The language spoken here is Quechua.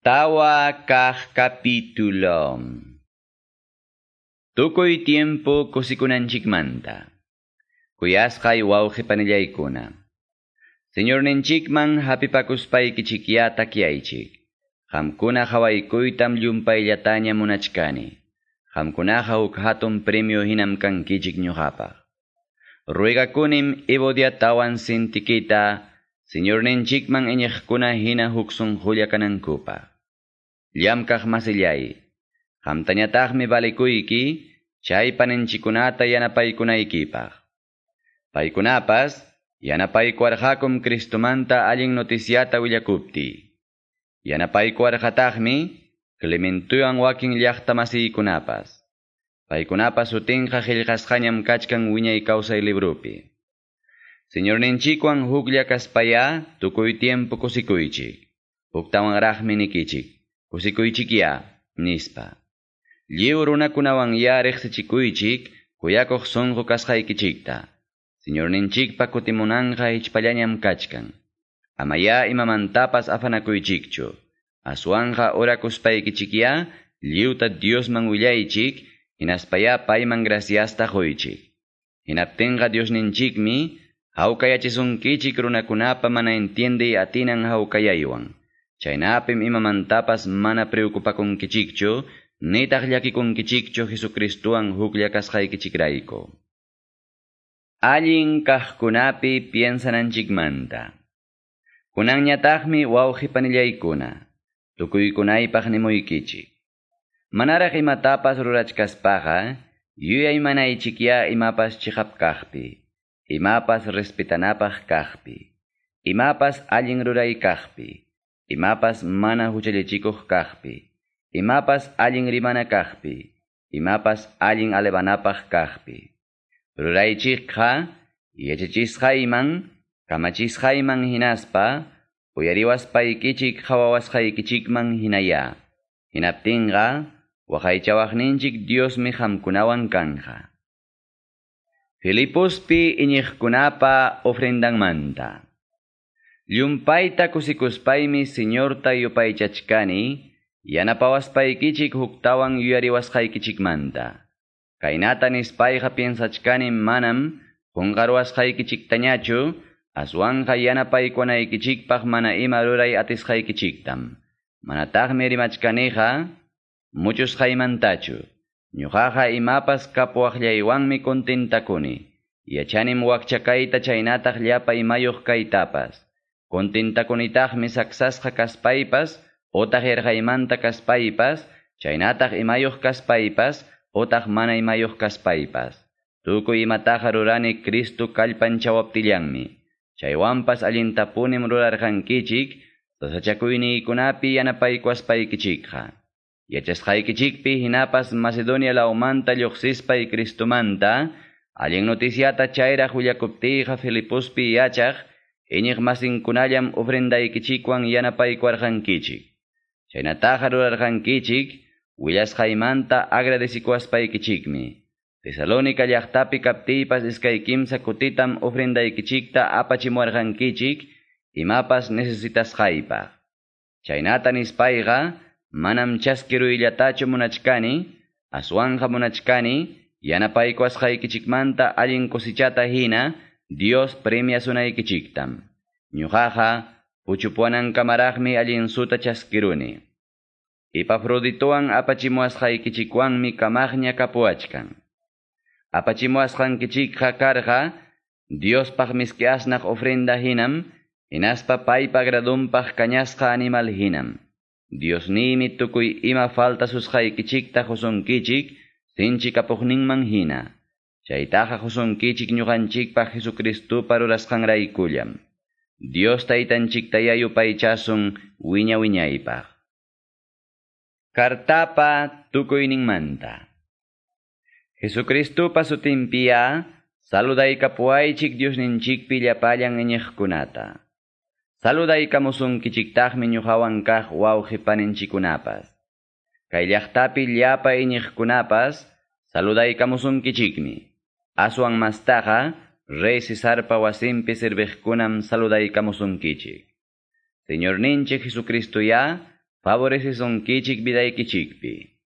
Tawa kaq capítulo. Tukuy tiempo kusikunanchikmanta. Kuyasqay wawqi panillaykuna. Señorninchikman hapipakuspaykichikya takyaychik. Qamkuna hawaykuytam llumpayllataña munachkani. Qamkunaqa huk hatun premio hinam kankichik ñuqapaq. Ruegakunim Evodiatawan Sintiquita, Señorninchikman iñiqkuna hina huk sunqulla kanankupaq. Llamkaq masillay, qamtañataqmi valikuyki, chay paninchikunata yanapaykunaykipaq. Paykunapas, yanapaykuwarqakum Cristomanta allin noticiata willakupti. Yanapaykuwarqataqmi Clementuwan wakin llaqta masiykunapas. Paykunapas sutinqa qillqasqañam kachkan wiñay kawsay librupi. Señorninchikwan huklla kaspaya tukuy tiempo kusikuychik. Huktawanraqmi nikichik. Kusikuychikya, nispa. Lliw runakunawan ya riqsichikuychik, kuyakuq sunqu kasqaykichikta. Señorninchikpa kutimunanqa hichpallañam kachkan. Amaya imamantapas afanakuychikchu. Aswanqa orakuspaykichikya, lliwta Diosman willaychik, hinaspaya payman graciasta quychik. Hinaptinqa Diosninchikmi, hawkayachisunkichik runakunapa mana entiendey atinan hawkayaywan. Chaynapim imamantapas mana preocupakunkichikchu, nitaq llakikunkichikchu Jesucristuwan huklla kasqaykichikrayku. Allin kaqkunapi piensananchikmanta. Kunanñataqmi wawqi panillaykuna, tukuykunaypaq nimuykichik. Manaraq imatapas rurachkaspaqa, yuyaymanaychikya imapas chiqap kaqpi, imapas respetanapaq kaqpi, imapas allin ruray kaqpi, imapas mana huchallichikuq kaqpi, imapas allin rimana kaqpi, imapas allin alevanapaq kaqpi. Ruraychikqa yachachisqayman, kamachisqayman hinaspa, uyariwaspaykichik qhawawasqaykichikman hinaya. Hinaptinqa, waqaychawaqninchik Diosmi qamkunawan kanja. Filipospi iñiqkunapa ofrendanmanta. Llumpayta kusikuspaymi Señorta yupaychachkani, yanapawaspaykichik huktawan yuyariwasqaykichikmanta. Kaynata nispayqa piensachkani manam qunqaruwasqaykichiktañachu, aswanqa yanapaykunaykichikpaq mana ima ruray atisqaykichiktam. Manataqmi rimachkaniqa muchusqaymantachu. Ñuqaqa imapas kapuwaqllaywanmi kontentakuni. Yachanim wakcha kayta chaynataq llapa imayuq kaytapas. Kontentakunitaqmi saksasqa kaspaypas, otaq yarqaymanta kaspaypas, chaynataq imayuq kaspaypas, otaq mana imayuq kaspaypas. Tukuy imataqa rurani Cristo kallpanchawaptillanmi. Chaywanpas allintapunim rurarqankichik, sasachakuyniykunapi yanapaykuwaspaykichikqa. Yachasqaykichikpi hinapas Macedonia lawmanta lluqsispay Cristomanta, allin noticiata chayraq willakuptiyqa Filipospi yachaq, iñiq masinkunallam ofrendaykichikwan yanapaykuwarqankichik. Chaynataqa rurarqankichik, willasqaymanta agradecikuwaspaykichikmi. Tesalónica llaqtapi kaptiypas iskay kimsa kutitam ofrendaykichikta apachimuwarqankichik, imapas necesitasqaypaq. Chaynata nispayqa, manam chaskiruyllatachu munachkani, aswanqa munachkani, yanapaykuwasqaykichikmanta allin cosechata hina, Dios premiasunaykichiktam. Ñuqaqa puchupuwanankamaraqmi allin suta chaskiruni. Epafroditowan apachimuwasqaykichikwanmi kamaqña kapuwachkan. Apachimuwasqankichikqa karqa, Diospaq miski asnaq ofrenda hinam, hinaspa paypa agradunpaq kañasqa animal hinam. Diosniymi tukuy ima faltasusqaykichikta qusunkichik, sinchi kapuqninman hina. Chaytaqa qusunkichik ñuqanchikpaq Jesucristupa rurasqanraykullam. Dios taytanchiktaya yupaychasun wiña wiñaypaq. Kartapa tukuyninmanta. Jesucristupa sutinpiya saludaykapuwaychik Diosninchikpi llapallan iñiqkunata. Saludaykamusunkichiktaqmi ñuqawan kaq wawqi paninchikkunapas. Kay llaqtapi llapa iñiqkunapas saludaykamusunkichikmi. Aswan mastaqa rey Cesarpa wasinpi serviqkunam saludaykamusunkichik. Señorninchik Jesucristo ya favorecesunkichik vidaykichikpi.